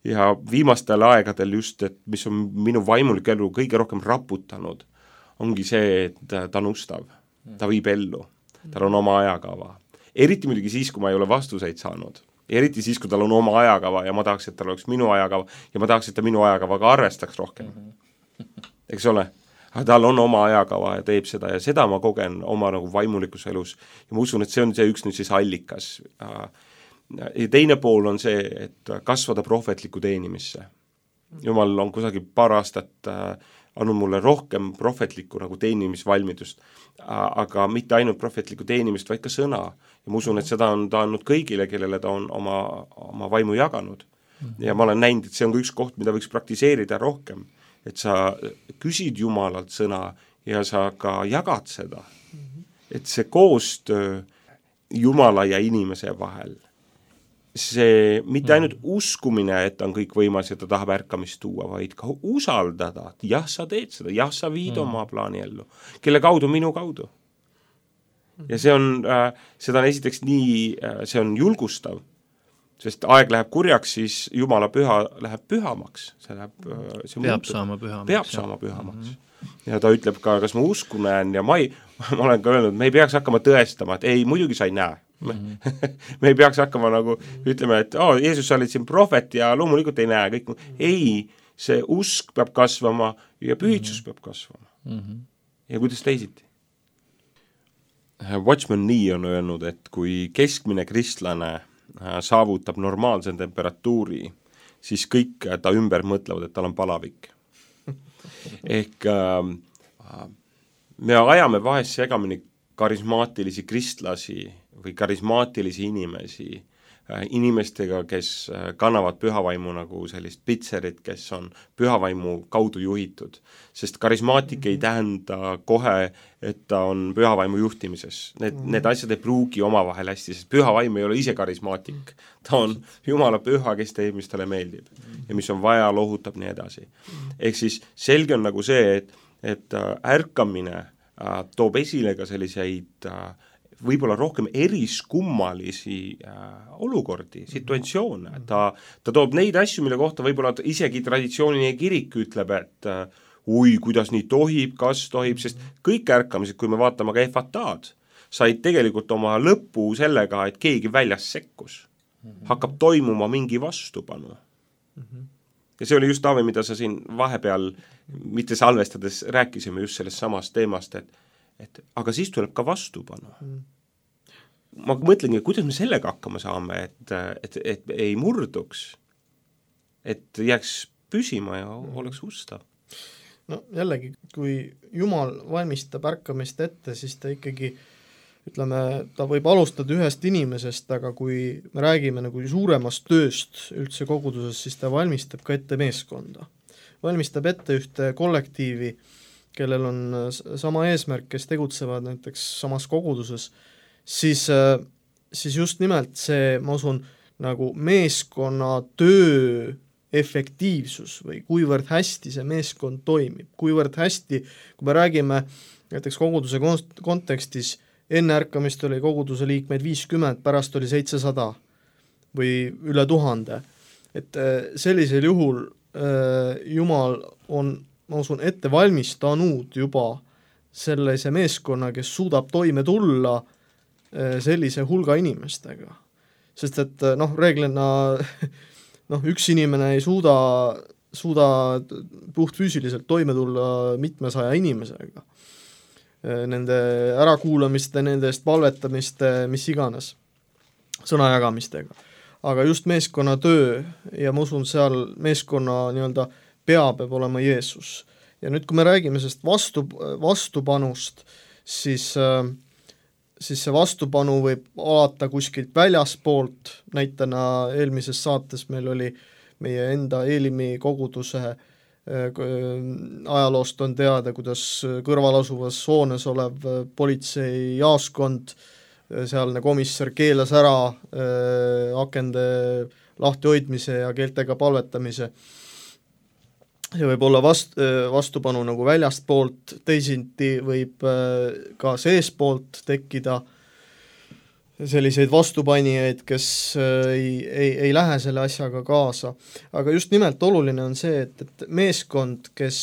Ja viimastel aegadel just, et mis on minu vaimulik elu kõige rohkem raputanud, ongi see, et ta on ustav, ta viib ellu, tal on oma ajakava. Eriti muidugi siis, kui ma ei ole vastuseid saanud. Eriti siis, kui tal on oma ajakava ja ma tahaks, et tal oleks minu ajakava ja ma tahaks, et ta minu ajakavaga arvestaks rohkem. Eks ole? aga tal on oma ajakava ja teeb seda ja seda ma kogen oma nagu vaimulikus elus ja ma usun, et see on see üks nüüd siis allikas. Ja teine pool on see, et kasvada prohvetlikku teenimisse. Jumal on kusagil paar aastat andnud mulle rohkem prohvetlikku nagu teenimisvalmidust, aga mitte ainult prohvetlikku teenimist, vaid ka sõna. Ja ma usun, et seda on ta andnud kõigile, kellele ta on oma, oma vaimu jaganud. Ja ma olen näinud, et see on üks koht, mida võiks praktiseerida rohkem, et sa küsid Jumalalt sõna ja sa ka jagad seda. Et see koostöö Jumala ja inimese vahel, see mitte ainult uskumine, et on kõik võimas ja ta tahab ärkamist tuua, vaid ka usaldada, jah, sa teed seda, jah, sa viid mm. oma plaani ellu, kelle kaudu, minu kaudu. Ja see on, äh, seda on esiteks nii, äh, see on julgustav, sest aeg läheb kurjaks, siis Jumala püha läheb pühamaks. See läheb, see peab muutub. saama pühamaks. Peab saama pühamaks. Mm-hmm. Ja ta ütleb ka, kas ma usku näen ja ma, ei, ma olen ka öelnud, me ei peaks hakkama tõestama, et ei, muidugi sa ei näe. Mm-hmm. me ei peaks hakkama nagu, ütleme, et oh, Jeesus, sa olid siin prohvet ja loomulikult ei näe kõik. Ei, see usk peab kasvama ja pühitsus mm-hmm. peab kasvama. Mm-hmm. Ja kuidas teisiti? Watchman Nee on öelnud, et kui keskmine kristlane saavutab normaalse temperatuuri, siis kõik ta ümber mõtlevad, et tal on palavik. Ehk äh, me ajame vahest segamini karismaatilisi kristlasi või karismaatilisi inimesi äh, inimestega, kes äh, kannavad pühavaimu nagu sellist pitserit, kes on pühavaimu kaudu juhitud. Sest karismaatik mm-hmm. ei tähenda kohe, et ta on pühavaimu juhtimises. Need, mm-hmm. need asjad ei pruugi omavahel hästi, sest pühavaim ei ole ise karismaatik. Ta on Jumala püha, kes teeb, mis talle meeldib. Mm-hmm. Ja mis on vaja, lohutab nii edasi. Mm-hmm. Ehk siis selge on nagu see, et, et äh, ärkamine äh, toob esile ka selliseid äh, võib-olla rohkem eriskummalisi äh, olukordi, situatsioone. Ta, ta toob neid asju, mille kohta võib-olla isegi traditsiooniline kirik ütleb, et äh, ui, kuidas nii tohib, kas tohib, sest kõik ärkamised, kui me vaatame ka efataad, said tegelikult oma lõpu sellega, et keegi väljas sekkus. Hakkab toimuma mingi vastupanu. Ja see oli just, Taavi, mida sa siin vahepeal, mitte salvestades, rääkisime just sellest samast teemast, et et aga siis tuleb ka vastupanu. Mm. Ma mõtlengi, kuidas me sellega hakkama saame, et, et, et ei murduks, et jääks püsima ja oleks ustav. No jällegi, kui Jumal valmistab ärkamist ette, siis ta ikkagi, ütleme, ta võib alustada ühest inimesest, aga kui me räägime nagu suuremast tööst üldse koguduses, siis ta valmistab ka ette meeskonda. Valmistab ette ühte kollektiivi, kellel on sama eesmärk, kes tegutsevad näiteks samas koguduses, siis, siis just nimelt see, ma usun, nagu meeskonna töö efektiivsus või kuivõrd hästi see meeskond toimib, kuivõrd hästi, kui me räägime näiteks koguduse kontekstis, enne ärkamist oli koguduse liikmeid viiskümmend, pärast oli seitsesada või üle tuhande. Et sellisel juhul Jumal on ma usun, ette valmistanud juba sellise meeskonna, kes suudab toime tulla sellise hulga inimestega. Sest et noh, reeglina noh, üks inimene ei suuda, suuda puht füüsiliselt toime tulla mitmesaja inimesega. Nende ärakuulamiste, nende eest palvetamiste, mis iganes, sõnajagamistega. Aga just meeskonna töö ja ma usun, seal meeskonna nii-öelda pea peab olema Jeesus. Ja nüüd, kui me räägime sellest vastu, vastupanust, siis, siis see vastupanu võib alata kuskilt väljaspoolt, näitena eelmises saates meil oli meie enda Eelimi koguduse ajaloost on teada, kuidas kõrvalasuvas hoones olev politsei jaaskond, sealne komissar keelas ära akende lahtihoidmise ja keeltega palvetamise. See võib olla vast, vastupanu nagu väljastpoolt, teisiti võib ka seespoolt tekkida selliseid vastupanijaid, kes ei, ei, ei lähe selle asjaga kaasa. Aga just nimelt oluline on see, et, et meeskond, kes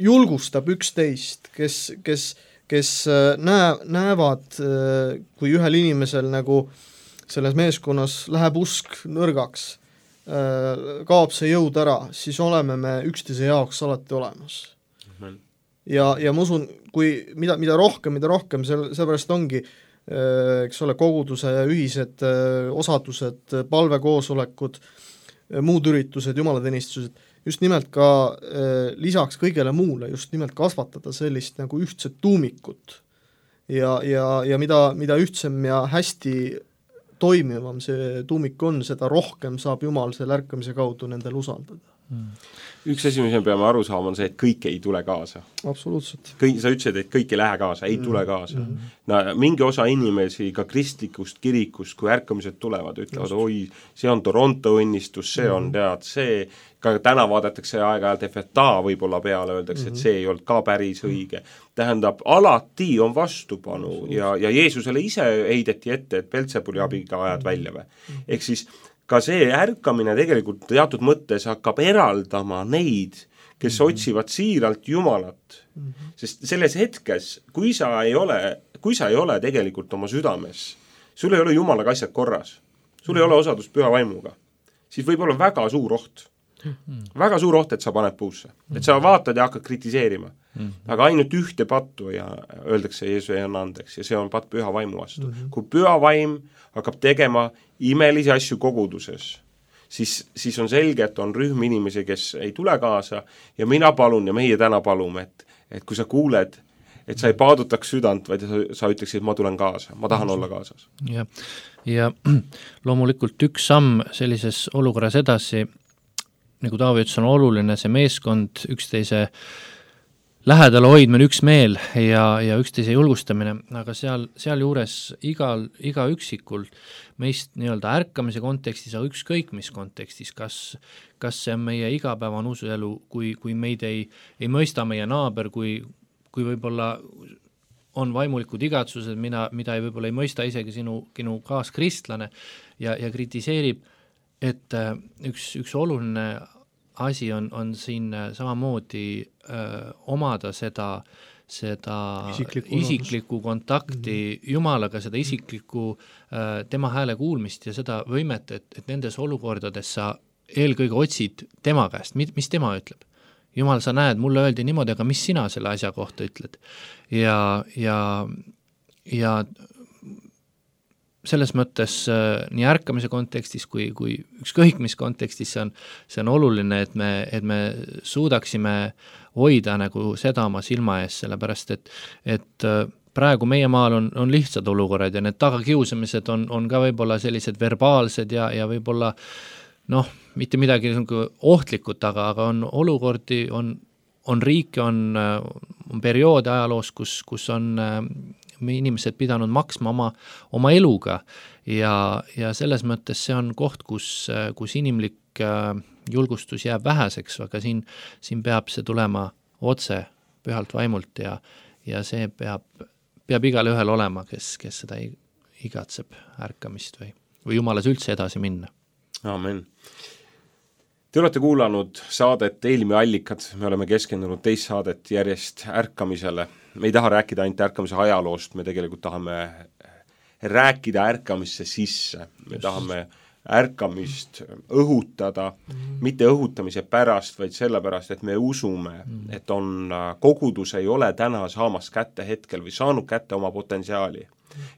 julgustab üksteist, kes, kes, kes näe, näevad, kui ühel inimesel nagu selles meeskonnas läheb usk nõrgaks, kaob see jõud ära, siis oleme me üksteise jaoks alati olemas. ja, ja ma usun, kui mida, mida rohkem, mida rohkem, sel, sellepärast ongi eks ole, koguduse ühised osadused, palvekoosolekud, muud üritused, jumalateenistused, just nimelt ka lisaks kõigele muule, just nimelt kasvatada sellist nagu ühtset tuumikut ja, ja, ja mida, mida ühtsem ja hästi toimivam see tuumik on, seda rohkem saab Jumal selle ärkamise kaudu nendel usaldada. Hmm. Üks asi, mis me peame aru saama, on see, et kõik ei tule kaasa. Absoluutselt. Kõik, sa ütlesid, et kõik ei lähe kaasa, ei mm. tule kaasa. Mm. No, mingi osa inimesi ka kristlikust kirikust, kui ärkamised tulevad, ütlevad, Just. oi, see on Toronto õnnistus, see mm. on tead, see, ka täna vaadatakse aeg-ajalt F T A võib-olla peale, öeldakse, mm. et see ei olnud ka päris õige. Tähendab, alati on vastupanu ja, ja Jeesusele ise heideti ette, et Belzebuli abiga ajad välja või. Ehk siis ka see ärkamine tegelikult teatud mõttes hakkab eraldama neid, kes mm-hmm. otsivad siiralt Jumalat. Mm-hmm. Sest selles hetkes, kui sa ei ole, kui sa ei ole tegelikult oma südames, sul ei ole Jumalaga asjad korras, sul mm-hmm. ei ole osadust püha vaimuga, siis võib olla väga suur oht. Mm-hmm. Väga suur oht, et sa paned puusse. Mm-hmm. Et sa vaatad ja hakkad kritiseerima. Mm-hmm. Aga ainult ühte pattu ja öeldakse Jeesus ei anna andeks ja see on patt püha vaimu vastu. Mm-hmm. Kui püha vaim hakkab tegema imelisi asju koguduses, siis, siis on selge, et on rühm inimesi, kes ei tule kaasa ja mina palun ja meie täna palume, et, et kui sa kuuled, et sa ei paadutaks südant, vaid sa, sa ütleksid, et ma tulen kaasa, ma tahan olla kaasas. Ja, ja loomulikult üks samm sellises olukorras edasi, nagu Taavi ütles, on oluline see meeskond, üksteise lähedal hoidmine, üks meel ja, ja üksteise julgustamine, aga seal, seal juures igal, iga üksikul meist nii-öelda ärkamise kontekstis, aga ükskõik mis kontekstis, kas, kas see on meie igapäevane usuelu, kui, kui meid ei, ei mõista meie naaber, kui, kui võib-olla on vaimulikud igatsused, mida, mida ei, võib-olla ei mõista isegi sinu, sinu kaaskristlane ja, ja kritiseerib, et üks, üks oluline asi on, on siin samamoodi öö, omada seda, seda isiklikku, isiklikku kontakti mm-hmm. Jumalaga, seda isiklikku öö, tema hääle kuulmist ja seda võimet, et, et nendes olukordades sa eelkõige otsid tema käest, mis, mis tema ütleb. Jumal, sa näed, mulle öeldi niimoodi, aga mis sina selle asja kohta ütled? Ja, ja, ja selles mõttes äh, nii ärkamise kontekstis kui, kui ükskõik mis kontekstis see on, see on oluline, et me, et me suudaksime hoida nagu seda oma silma ees, sellepärast et, et äh, praegu meie maal on, on lihtsad olukorrad ja need tagakiusamised on, on ka võib-olla sellised verbaalsed ja, ja võib-olla noh, mitte midagi ohtlikut, aga, aga on olukordi, on, on riike, on, on perioode ajaloos, kus, kus on äh, inimesed pidanud maksma oma, oma eluga ja, ja selles mõttes see on koht, kus, kus inimlik julgustus jääb väheseks, aga siin, siin peab see tulema otse pühalt vaimult ja, ja see peab, peab igale ühel olema, kes, kes seda igatseb ärkamist või, või Jumalas üldse edasi minna. Amen. Te olete kuulanud saadet Eelmi allikad, me oleme keskendunud teist saadet järjest ärkamisele. Me ei taha rääkida ainult ärkamise ajaloost, me tegelikult tahame rääkida ärkamisse sisse, me Just. tahame ärkamist õhutada, mm-hmm. mitte õhutamise pärast, vaid sellepärast, et me usume, mm-hmm. et on, kogudus ei ole täna saamas kätte hetkel või saanud kätte oma potentsiaali.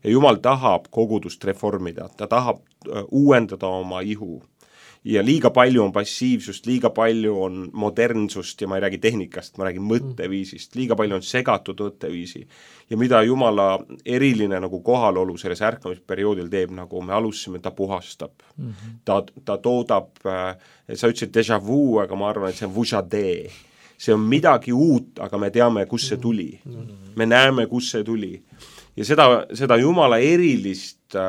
Ja Jumal tahab kogudust reformida, ta tahab uuendada oma ihu. Ja liiga palju on passiivsust, liiga palju on modernsust ja ma ei räägi tehnikast, ma räägin mõtteviisist, liiga palju on segatud mõtteviisi. Ja mida Jumala eriline nagu kohalolu selles ärkamisperioodil teeb, nagu me alustasime, ta puhastab. Mm-hmm. Ta, ta toodab, sa ütlesid déjà vu, aga ma arvan, et see on vujade. See on midagi uut, aga me teame, kus see tuli. Mm-hmm. Me näeme, kus see tuli. Ja seda, seda Jumala erilist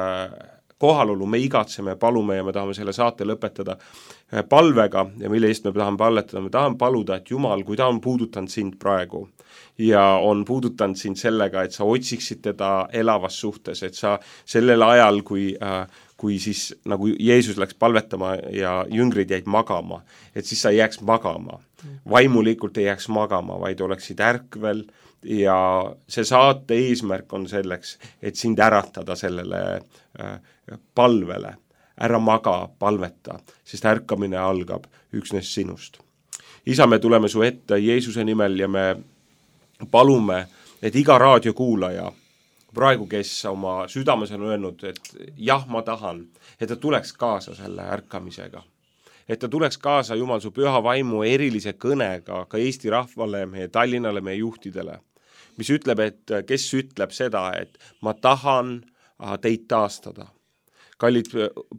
kohalolu me igatseme, palume ja me tahame selle saate lõpetada palvega ja mille eest me tahame palletada, me tahame paluda, et Jumal, kui ta on puudutanud sind praegu ja on puudutanud sind sellega, et sa otsiksid teda elavas suhtes, et sa sellel ajal, kui, kui siis nagu Jeesus läks palvetama ja jüngrid jäid magama, et siis sa ei jääks magama, vaimulikult ei jääks magama, vaid oleksid ärkvel ja see saate eesmärk on selleks, et sind äratada sellele äh, palvele, ära maga, palveta, sest ärkamine algab üksnes sinust. Isa, me tuleme su ette Jeesuse nimel ja me palume, et iga raadiokuulaja praegu, kes oma südames on öelnud, et jah, ma tahan, et ta tuleks kaasa selle ärkamisega. Et ta tuleks kaasa Jumal su püha vaimu erilise kõnega ka Eesti rahvale, meie Tallinnale, meie juhtidele, mis ütleb, et kes ütleb seda, et ma tahan teid taastada. Kallid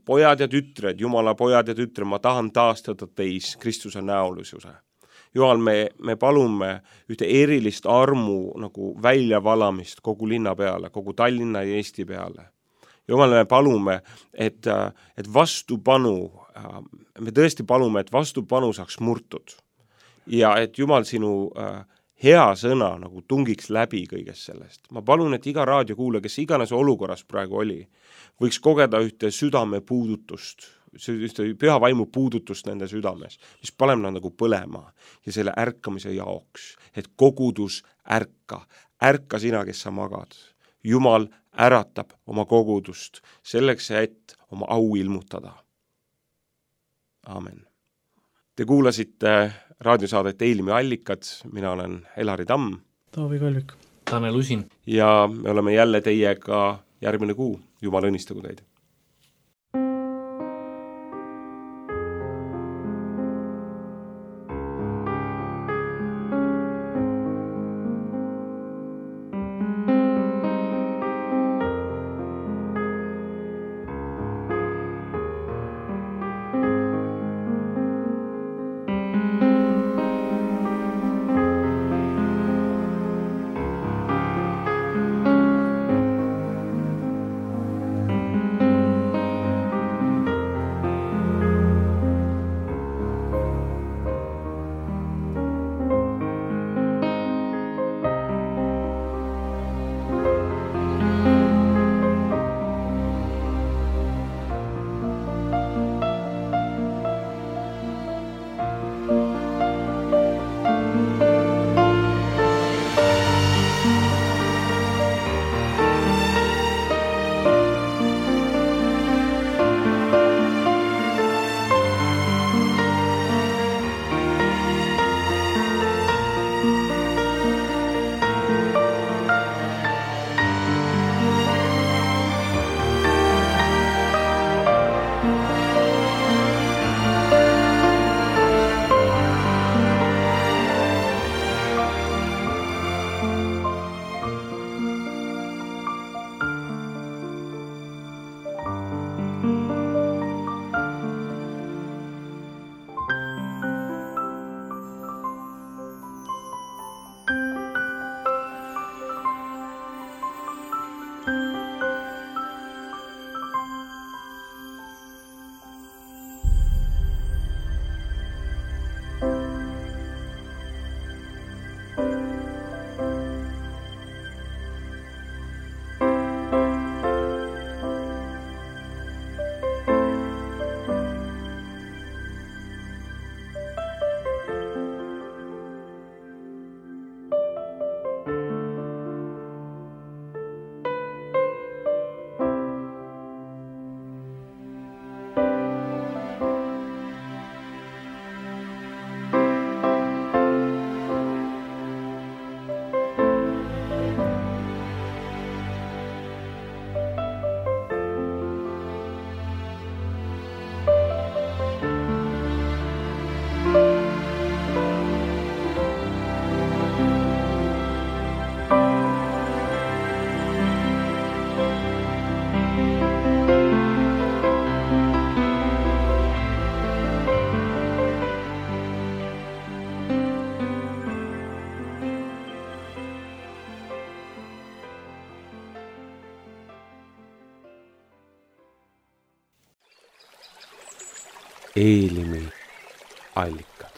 pojad ja tütred, Jumala pojad ja tütred, ma tahan taastada teis Kristuse näolisuse. Jumal, me, me palume ühte erilist armu nagu väljavalamist kogu linna peale, kogu Tallinna ja Eesti peale. Jumal, me palume, et, et vastupanu, me tõesti palume, et vastupanu saaks murtud. Ja et Jumal sinu hea sõna nagu tungiks läbi kõigest sellest. Ma palun, et iga raadiokuulaja, kes iganes olukorras praegu oli, võiks kogeda ühte südame puudutust, ühte püha vaimu puudutust nende südames, mis paneb nad nagu põlema ja selle ärkamise jaoks, et kogudus ärka, ärka sina, kes sa magad. Jumal äratab oma kogudust selleks, et oma au ilmutada. Aamen. Te kuulasite raadiosaadet Eilimi allikad, mina olen Elari Tamm. Taavi Kalvik. Tanel Usin. Ja me oleme jälle teiega järgmine kuu. Jumal õnnistagu teid. Eilimi allikad.